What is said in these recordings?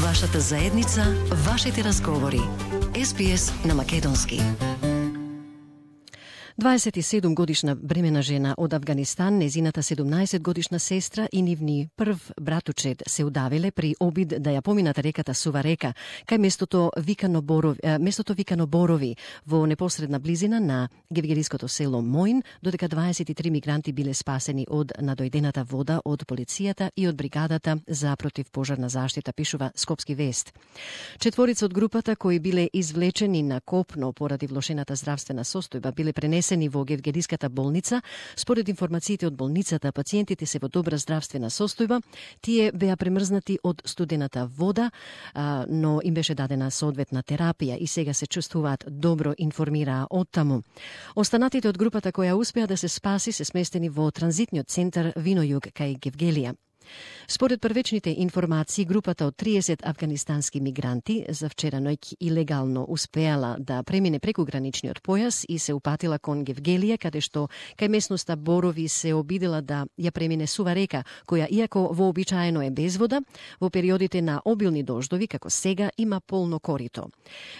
Вашата заедница, вашите разговори. SBS на македонски. 27 годишна бремена жена од Авганистан, незината 17 годишна сестра и нивни прв братучед се удавиле при обид да ја поминат реката Сува река кај местото Викано Борови во непосредна близина на гевгелиското село Моин, додека 23 мигранти биле спасени од надојдената вода од полицијата и од бригадата за противпожарна заштита, пишува Скопски вест. Четворица од групата кои биле извлечени на копно поради влошената здравствена состојба биле пренесени во гевгелиската болница. Според информациите од болницата, пациентите се во добра здравствена состојба. Тие беа премрзнати од студената вода, но им беше дадена соодветна терапија и сега се чувствуваат добро, информираа од таму. Останатите од групата која успеа да се спаси се сместени во транзитниот центар Винојуг кај Гевгелија. Според првечните информации, групата од 30 афганистански мигранти за вчера ноќ илегално успеала да премине преку граничниот појас и се упатила кон Гевгелија, каде што кај местноста Борови се обидела да ја премине Сува река, која иако вообичаено е без вода, во периодите на обилни дождови, како сега, има полно корито.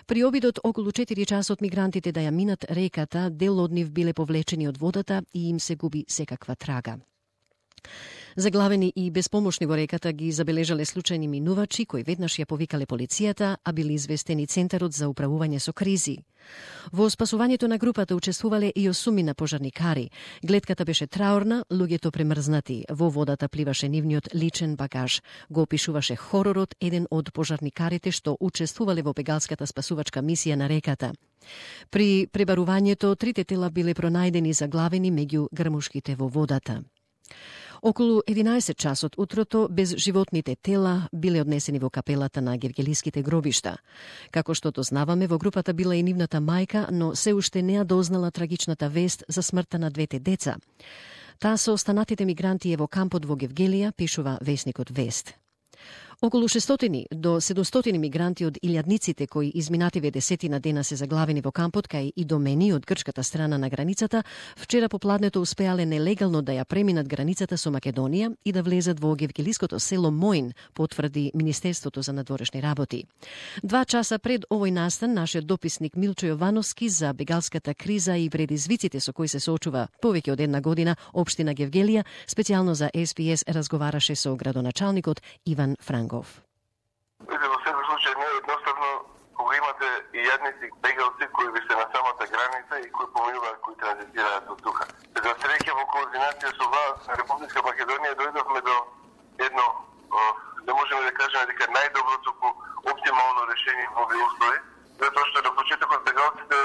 При обидот околу 4 часот мигрантите да ја минат реката, дел од нив биле повлечени од водата и им се губи секаква трага. Заглавени и безпомошни во реката ги забележале случајни минувачи кои веднаш ја повикале полицијата, а били известени Центарот за управување со кризи. Во спасувањето на групата учествувале и 8 пожарникари. Гледката беше траурна, луѓето премрзнати. Во водата пливаше нивниот личен багаж. Го опишуваше хоророт еден од пожарникарите што учествувале во бегалската спасувачка мисија на реката. При пребарувањето 3 тела биле пронајдени заглавени меѓу грмушките во водата. Околу 11 часот утрото безживотните тела биле однесени во капелата на гевгелиските гробишта. Како што дознаваме, во групата била и нивната мајка, но се уште не ја дознала трагичната вест за смртта на 2 деца. Таа со останатите мигранти е во кампот во Гевгелија, пишува весникот Вест. Околу 600 до 700 мигранти од илјадниците кои изминативе десетина дена се заглавени во кампот кај Идомени од грчката страна на границата, вчера попладнето успеале нелегално да ја преминат границата со Македонија и да влезат во гевгелиското село Моин, потврди Министерството за надворешни работи. 2 часа пред овој настан, нашиот дописник Милчо Јовановски за бегалската криза и предизвиците со кои се соочува повеќе од една година општина Гевгелија, специјално за SBS разговараше со градоначалникот Иван Франгов. Во секој случај не е едноставно кога имате и јадници бегалци кои ви се на самата граница и кои поминуваат, кои транзитираат од тука. За среќа во координација со власт на Република Македонија дојдовме до едно, да можеме да кажеме дека најдоброто оптимално решение во овие услови, затоа што на почетокот бегалците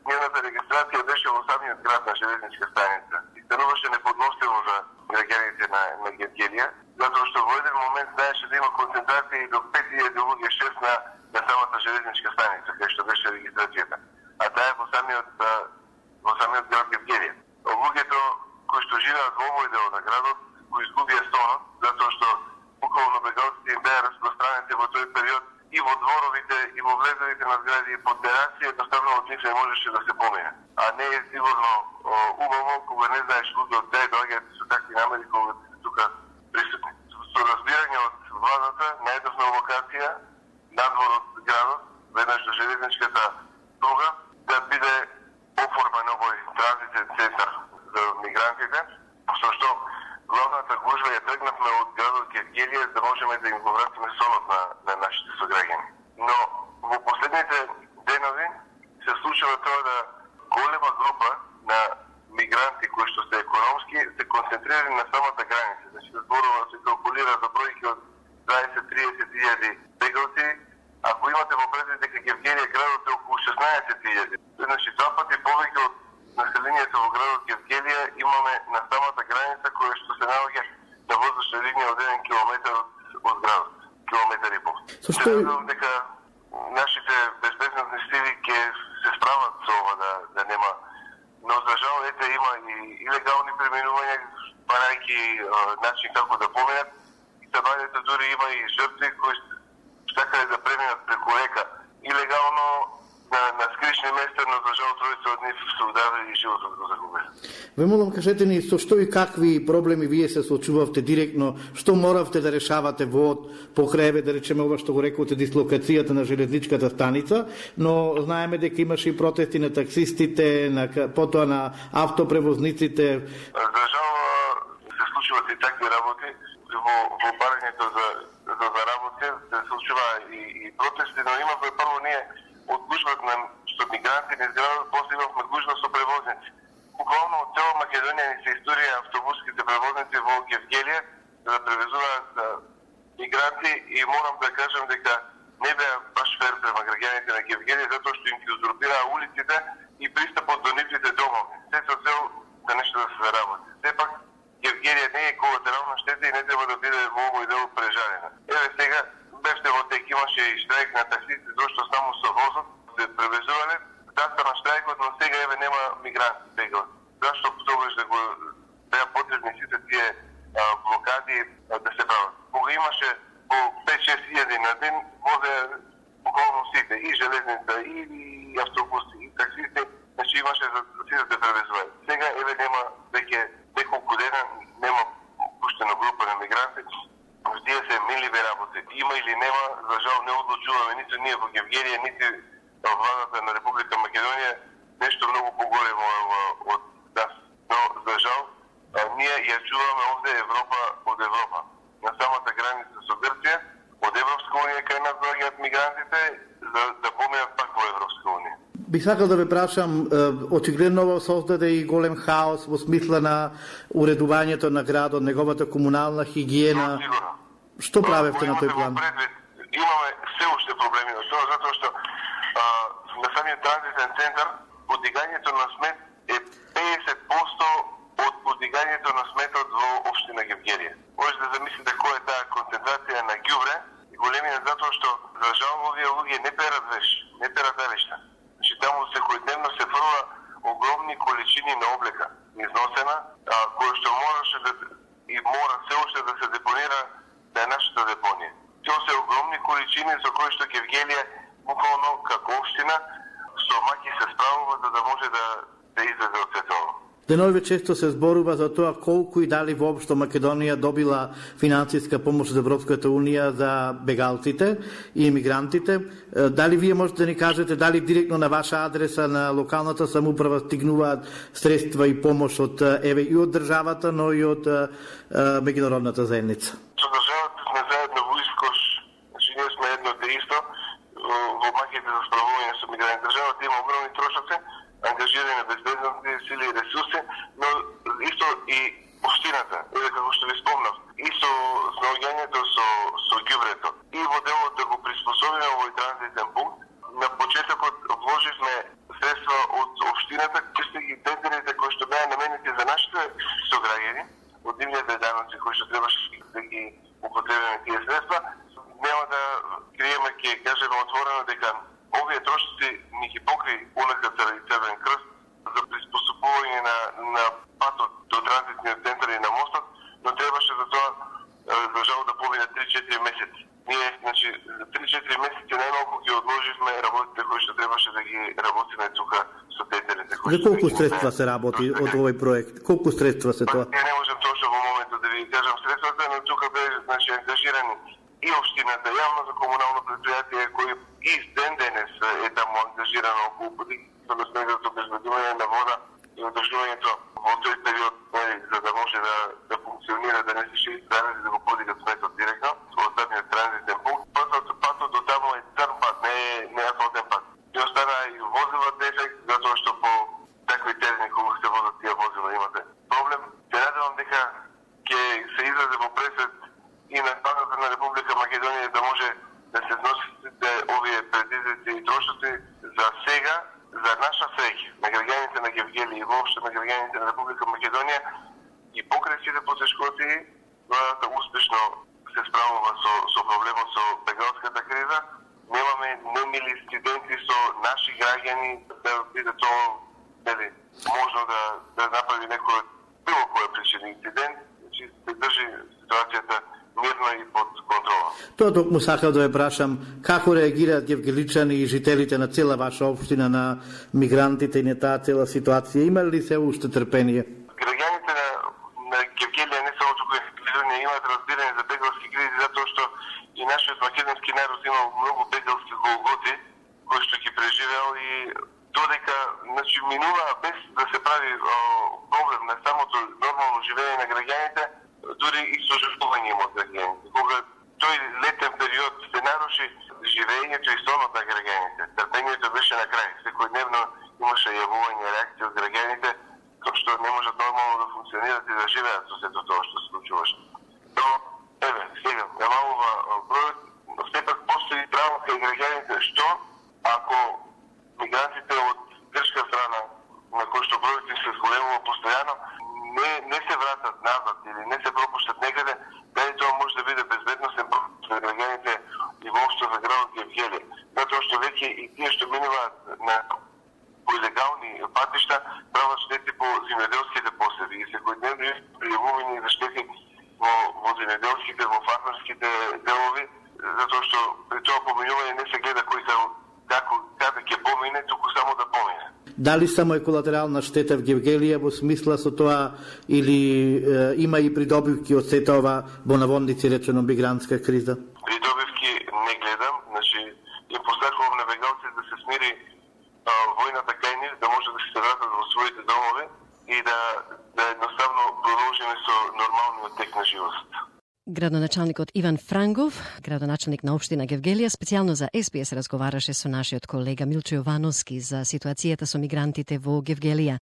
нивната регистрација беше во самиот град на железничка станица и стануваше неподносливо за граѓаните на Гевгелија, затоа што во еден момент знаеше да има концентрација и до 5000 луѓе 6 на самата железничка станица, кај што беше регистрацијата. А таа е во самиот град Гевгелија. Луѓето кои што живеат во овој дел на градот го изгубија сонот, затоа што буквално бегалците им беа распространети во тој период и во дворовите, и во влезовите на згради, и под терација, едноставно од нив не можеше да се помине. А не е сигурно убаво кога не знаеш луѓе од кај доаѓаат со такви намери кога се тука присутни. Со разбирање од владата, најдовна локација, надвор од градот, веднаш до железничката пруга, да биде оформен овој транзитен центар за мигрантите, со што главната гужва ја тргнавме од градот Гевгелија да можеме да им го вратиме сонот на нашите сограѓани. Но во последните денови се случува тоа да голема група на мигранти кои што се економски се концентрирани на самата граница. Значи да зборува се калкулира за бројки од 20-30 илјади бегалци. Ако имате во предвид дека Гевгелија градот е околу 16 илјади, значи 2 пати повеќе од населението во градот Гевгелија имаме на самата граница која што се наоѓа на воздушна линија од 1 километар од градот, километар и пол. Се надевам дека нашите безбедносни сили ќе се справат со ова да нема, но за жал ете има и илегални преминувања, барајќи начин како да поминат, и сабањето дури има и жртви кои сакале да преминат преку река илегално, на скришни места, но за жал тројца од нив се удавили и животот го загубили. Ве молам, кажете ни со што и какви проблеми вие се соочувавте директно, што моравте да решавате во покрај, да речеме ова што го рековте, дислокацијата на железничката станица, но знаеме дека имаше и протести на таксистите, потоа на автопревозниците. За жал се случуваат и такви работи во барањето за заработка, се случува и протести, но имавме прво ние од гужбата на што мигранти низ градот, после имавме гужба со превозници. Буквално од цела Македонија ни се историја автобуските превозници во Гевгелија да превезуваат мигранти и морам да кажам дека не беа баш фер према граѓаните на Гевгелија, затоа што им ги узурпираа улиците и пристапот до нивните домови. Се со цел да нешто да се заработи. Сепак Гевгелија не е колатерална штета и не треба да биде во овој дел прежарена. Еве сега бевте во тек, имаше и штрајк на таксисти, зашто само со возот се превезувале. Застана штрајкот, но сега еве нема мигранти сега. Зашто тогаш да го беа потребни сите тие блокади да се прават. Кога имаше по 5-6 илјади на ден, возе буквално сите, и железница, и автобуси, и таксисти, значи имаше за сите да превезуваат. Сега еве нема веќе неколку дена, нема пуштена група на мигранти, вдие се минливи работи. Има или нема, за жал не одлучуваме ниту ние во Гевгелија, нити владата на Република Македонија, нешто многу поголемо од нас. Но, за жал, ние ја чуваме овде Европа од Европа. На самата граница со Грција, од Европска унија кај нас доаѓаат мигрантите, за да поминат пак во Европска унија. Би сакал да ве прашам, очигледно ова создаде и голем хаос во смисла на уредувањето на градот, неговата комунална хигиена. Што правевте на тој план? Имаме се уште проблеми на тоа, затоа што на самиот транзитен центар подигањето на смет е 50% од подигањето на сметот во општина Гевгелија. Може да замислите која е таа концентрација на ѓубре и големина, затоа што за жал овие луѓе не перат веш, не перат велишта. Значи таму секојдневно се фрла огромни количини на облека износена, која што можеше да и мора се уште да се депонира на нашата депонија. Тоа се огромни количини за кои што Гевгелија буквално како општина со маки се справува за да може да излезе од сето ова. Деновиве често се зборува за тоа колку и дали воопшто Македонија добила финансиска помош од Европската унија за бегалците и имигрантите. Дали вие можете да ни кажете дали директно на ваша адреса на локалната самоуправа стигнуваат средства и помош од еве и од државата, но и од меѓународната заедница? Со државата сме заедно во искош, значи ние сме едно те исто во маките за справување со мигранти. Државата има огромни трошоци, ангажирани на безбедностни сили и ресурси, но исто и општината, како што ви спомнав, и со снаоѓањето со ѓубрето, и во делот да го приспособиме овој транзитен пункт. На почетокот вложивме средства од општината, чистејќи тендерите кои што беа наменети за нашите сограѓани, од нивните даноци кои што требаше да ги употребиме тие средства. Нема да криеме, ќе кажеме отворено дека овие трошоци ни ги покри УНКЦР и Црвен крст за приспособување на патот до транзитниот центар и на мостот, но требаше за тоа за жал да помине 3-4 месеци. Ние, значи, за 3-4 месеци најмалку ги одложивме работите кои што требаше да ги работиме тука со тендерите. За колку средства се работи од овој проект? Колку средства се тоа? Ја не можам точно во моментот да ви кажам средствата, но тука бе, значи, ангажирани и општината, јавно за комунално предпријатие кои и ден денес е таму ангажирано околу подигнато на снегото обезбедување на вода и одржувањето во тој период, за да може да функционира, да не се шири данези да го подигат сметот директно во самиот транзитен пункт. Патот до таму е црн пат, не е асфалтен пат. И остана и возила дефект, затоа што по такви терени кога се возат тие возила имате проблем. Се надевам дека ќе се излезе во пресвет и на владата на Република Македонија да може да се сносите овие предизвици и трошоци за сега, за наша среќа, на граѓаните на Гевгелија и воопшто на граѓаните на Република Македонија и покрај сите потешкоти, владата успешно се справува со проблемот со бегалската криза. Немаме немили инциденти со наши граѓани, да биде тоа можно да направи некој било која причина инцидент, значи се држи ситуацијата мирно и под контрола. Тоа токму сакав да ве прашам, како реагираат гевгеличани и жителите на цела ваша општина на мигрантите и на таа цела ситуација? Има ли се уште трпение? Граѓаните на Гевгелија не само туку имаат разбирање за бегалски кризи, затоа што и нашиот македонски народ имал многу бегалски голготи кои што ги преживеал и додека минува без да се прави проблем на самото нормално живење на граѓаните, дури и сожалување од граѓаните. Кога тој летен период се наруши живењето и сонот на граѓаните, трпението беше на крај. Секојдневно имаше јавување реакции од граѓаните кои што не можат нормално да функционират и да живеат со сето тоа што се случуваше. Но, сега, намалува бројот, сепак постои право кај граѓаните што ако мигрантите од грчка страна, на кои што бројот им се зголемува постојано, не се вратат назад или не се пропуштат некаде, дали тоа може да биде безбедносен пропуск за граѓаните и воопшто за градот Гевгелија. Затоа што веќе и тие што минуваат по илегални патишта прават штети по земјоделските поседи и секојдневно пријавување за штети во земјоделските, во фармерските делови, затоа што при тоа поминување не се гледа кој каде ќе помине, туку само да помине. Дали само е колатерална штета в Гевгелија во смисла со тоа или има и придобивки од сета ова во наводници речено мигрантска криза? Придобивки не гледам, значи им посакувам на бегалци да се смири војната кај нив, да може да се вратат во своите домови и да едноставно продолжиме со нормалниот тек на живот. Градоначалникот Иван Франгов, градоначалник на општина Гевгелија, специјално за СПС разговараше со нашиот колега Милчо Јовановски за ситуацијата со мигрантите во Гевгелија.